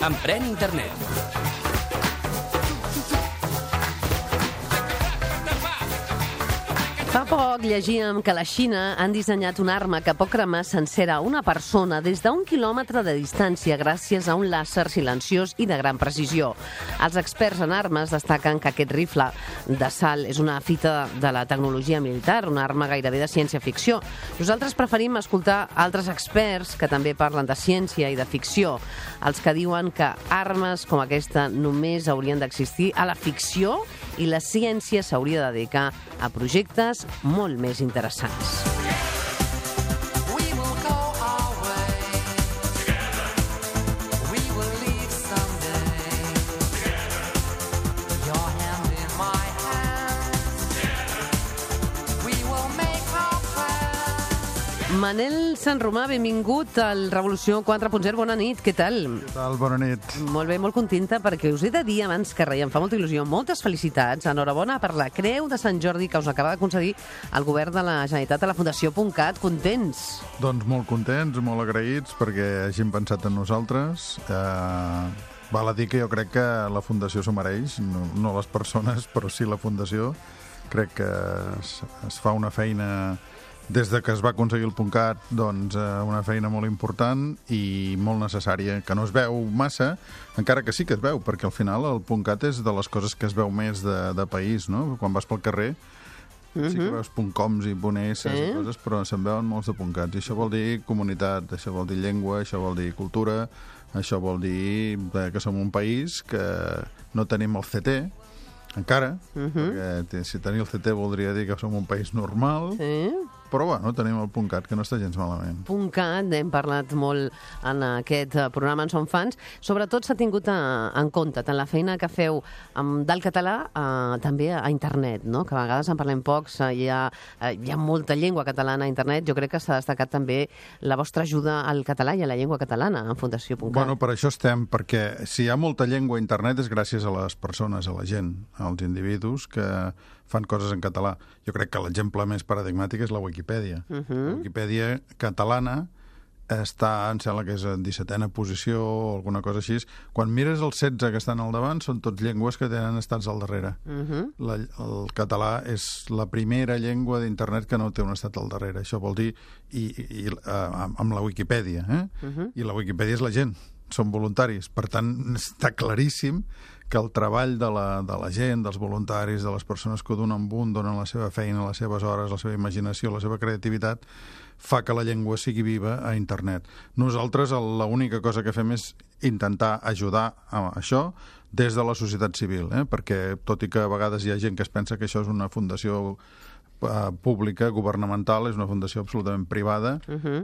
Emprèn Internet. Fa poc llegíem que la Xina han dissenyat una arma que pot cremar sencera una persona des d'un quilòmetre de distància gràcies a un làser silenciós i de gran precisió. Els experts en armes destaquen que aquest rifle d'assalt és una fita de la tecnologia militar, una arma gairebé de ciència-ficció. Nosaltres preferim escoltar altres experts que també parlen de ciència i de ficció, els que diuen que armes com aquesta només haurien d'existir a la ficció i la ciència s'hauria de dedicar a projectes molt més interessants. Manel Sanromà, benvingut al Revolució 4.0. Bona nit, què tal? Què tal? Bona nit. Molt bé, molt contenta, perquè us he de dir abans que res, em fa molta il·lusió, moltes felicitats, enhorabona per la Creu de Sant Jordi que us acaba de concedir el govern de la Generalitat a la Fundació.cat. Contents? Doncs molt contents, molt agraïts perquè hagin pensat en nosaltres. Val a dir que jo crec que la Fundació s'ho mereix, no les persones, però sí la Fundació. Crec que es fa una feina des de que es va aconseguir el .cat, doncs una feina molt important i molt necessària, que no es veu massa, encara que sí que es veu, perquè al final el .cat és de les coses que es veu més de país, no? Quan vas pel carrer sí que veus .coms i .es i coses, però se'n veuen molts de .cats, i això vol dir comunitat, això vol dir llengua, això vol dir cultura, això vol dir que som un país que no tenim el CT, encara, perquè si tenir el CT voldria dir que som un país normal, però bueno, tenim el .cat, que no està gens malament. .cat, hem parlat molt en aquest programa, en som fans. Sobretot s'ha tingut en compte tant la feina que feu del català també a internet, no? Que a vegades en parlem pocs, hi ha molta llengua catalana a internet. Jo crec que s'ha destacat també la vostra ajuda al català i a la llengua catalana en Fundació.cat. Bueno, per això estem, perquè si hi ha molta llengua a internet és gràcies a les persones, a la gent, als individus que fan coses en català. Jo crec que l'exemple més paradigmàtic és la Wikipedia. La Wikipedia catalana està, em sembla que és en 17a posició o alguna cosa així. Quan mires els 16 que estan al davant, són tots llengües que tenen estats al darrere. El català és la primera llengua d'internet que no té un estat al darrere. Això vol dir, amb la Wikipedia, i la Wikipedia és la gent, són voluntaris. Per tant, està claríssim que el treball de la gent, dels voluntaris, de les persones que donen la seva feina, les seves hores, la seva imaginació, la seva creativitat, fa que la llengua sigui viva a internet. Nosaltres l'única cosa que fem és intentar ajudar a això des de la societat civil, perquè tot i que a vegades hi ha gent que es pensa que això és una fundació pública, governamental, és una fundació absolutament privada,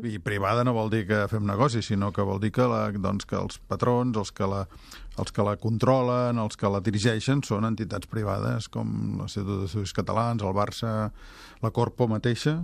i privada no vol dir que fem negoci, sinó que vol dir que els patrons, els que la controlen, els que la dirigeixen, són entitats privades, com l'Institut d'Estudis Catalans, el Barça, la Corpo mateixa,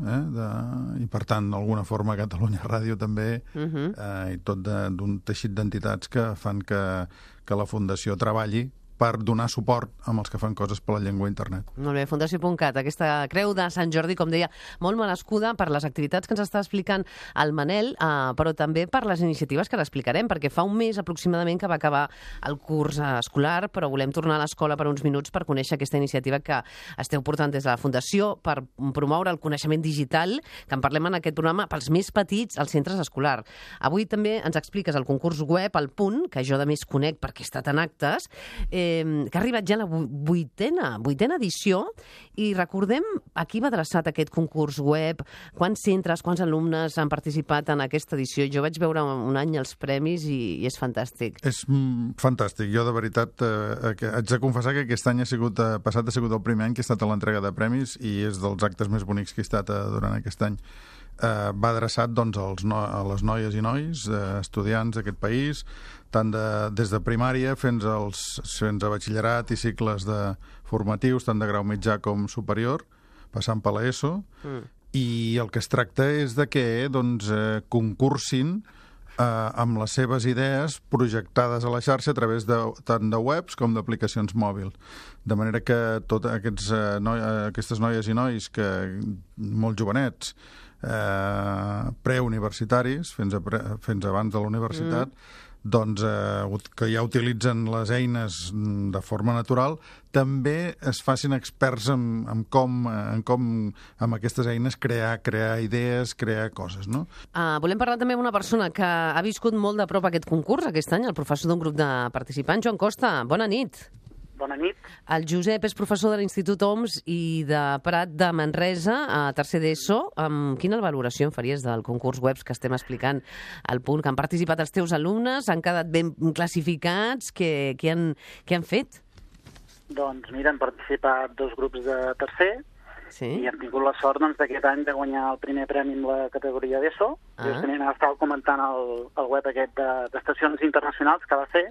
i per tant, d'alguna forma, Catalunya Ràdio també, i tot d'un teixit d'entitats que fan que la Fundació treballi per donar suport amb els que fan coses per la llengua a internet. Molt bé, Fundació.cat, aquesta Creu de Sant Jordi, com deia, molt merescuda per les activitats que ens està explicant el Manel, però també per les iniciatives que l'explicarem, perquè fa un mes aproximadament que va acabar el curs escolar, però volem tornar a l'escola per uns minuts per conèixer aquesta iniciativa que esteu portant des de la Fundació per promoure el coneixement digital, que en parlem en aquest programa, pels més petits als centres escolars. Avui també ens expliques el concurs web, el Punt, que jo de més conec perquè he estat en actes, que ha arribat ja a la vuitena edició, i recordem a qui va adreçat aquest concurs web, quants centres, quants alumnes han participat en aquesta edició. Jo vaig veure un any els premis i és fantàstic. És fantàstic. Jo, de veritat, haig de confessar que aquest any ha sigut el primer any que he estat a l'entrega de premis i és dels actes més bonics que he estat durant aquest any. Va adreçat a les noies i nois, estudiants d'aquest país, tant des de primària fins a batxillerat i cicles formatius, tant de grau mitjà com superior, passant per l'ESO, i el que es tracta és de que concursin amb les seves idees projectades a la xarxa a través tant de webs com d'aplicacions mòbils. De manera que totes aquestes noies i nois, molt jovenets, preuniversitaris, fins abans de la universitat, doncs, que ja utilitzen les eines de forma natural, també es facin experts en com amb aquestes eines crear idees, crear coses, no? Volem parlar també amb una persona que ha viscut molt de prop aquest concurs aquest any, el professor d'un grup de participants. Joan Costa, bona nit. Bona nit. El Josep és professor de l'Institut OMS i de Prat de Manresa, a tercer d'ESO. Quina valoració en faries del concurs webs que estem explicant al punt, que han participat els teus alumnes, han quedat ben classificats, què han fet? Doncs mira, han participat 2 grups de tercer i hem tingut la sort d'aquest any de guanyar el primer premi en la categoria d'ESO. Justament estava comentant el web aquest d'estacions internacionals que va fer.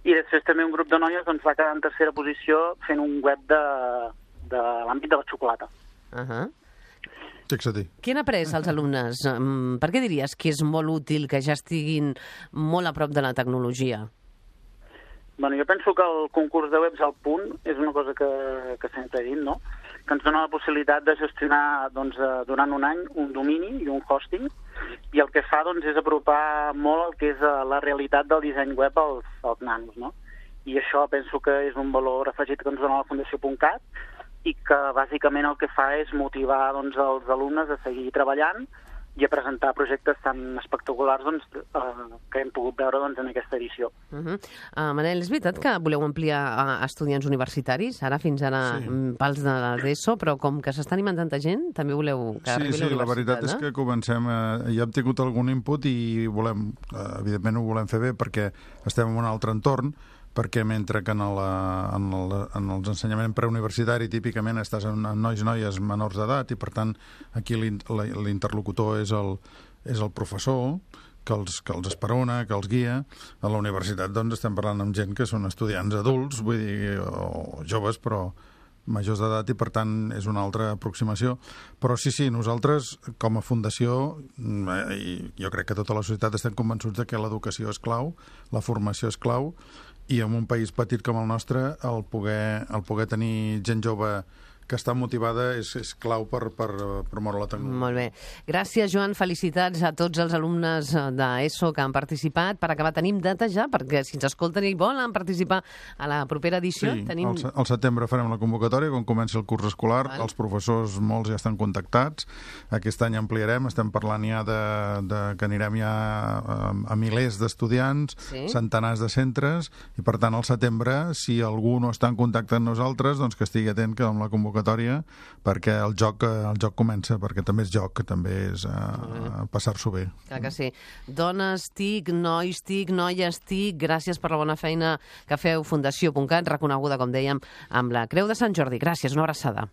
I després també un grup de noies va quedar en tercera posició fent un web de l'àmbit de la xocolata. Fixa-t'hi. Què han après els alumnes? Per què diries que és molt útil que ja estiguin molt a prop de la tecnologia? Bueno, jo penso que el concurs de webs al punt és una cosa que sempre he dit, no? Que ens dona la possibilitat de gestionar durant un any un domini i un hosting, i el que fa és apropar molt el que és la realitat del disseny web als nanos, no? I això penso que és un valor afegit que ens dona la Fundació.cat i que bàsicament el que fa és motivar els alumnes a seguir treballant i a presentar projectes tan espectaculars que hem pogut veure en aquesta edició. Manel, és veritat que voleu ampliar a estudiants universitaris, fins ara pels de l'ESO, però com que s'està animant tanta gent, també voleu que arribi a la universitat, la veritat és que comencem, ja hem tingut algun input i volem, evidentment ho volem fer bé perquè estem en un altre entorn, perquè mentre que en els ensenyaments preuniversitari típicament estàs amb nois i noies menors d'edat i per tant aquí l'interlocutor és el professor que els esperona, que els guia. A la universitat estem parlant amb gent que són estudiants adults, vull dir, o joves, però majors d'edat, i per tant és una altra aproximació. Però sí, nosaltres com a fundació, i jo crec que tota la societat estem convençuts que l'educació és clau, la formació és clau, i en un país petit com el nostre el poder tenir gent jove que està motivada és clau per promoure la tecnologia. Molt bé. Gràcies, Joan. Felicitats a tots els alumnes d'ESO que han participat. Per acabar, tenim data ja, perquè si ens escolten i volen participar a la propera edició... Sí, al setembre farem la convocatòria, quan comenci el curs escolar. Els professors, molts ja estan contactats. Aquest any ampliarem, estem parlant ja que anirem ja a milers d'estudiants, centenars de centres, i per tant al setembre, si algú no està en contacte amb nosaltres, doncs que estigui atent que amb la convocatòria, perquè el joc comença, perquè també és joc, que també és passar-s'ho bé. Clar que sí. Dones TIC, nois TIC, noies TIC, gràcies per la bona feina que feu Fundació.cat, reconeguda, com dèiem, amb la Creu de Sant Jordi. Gràcies, una abraçada.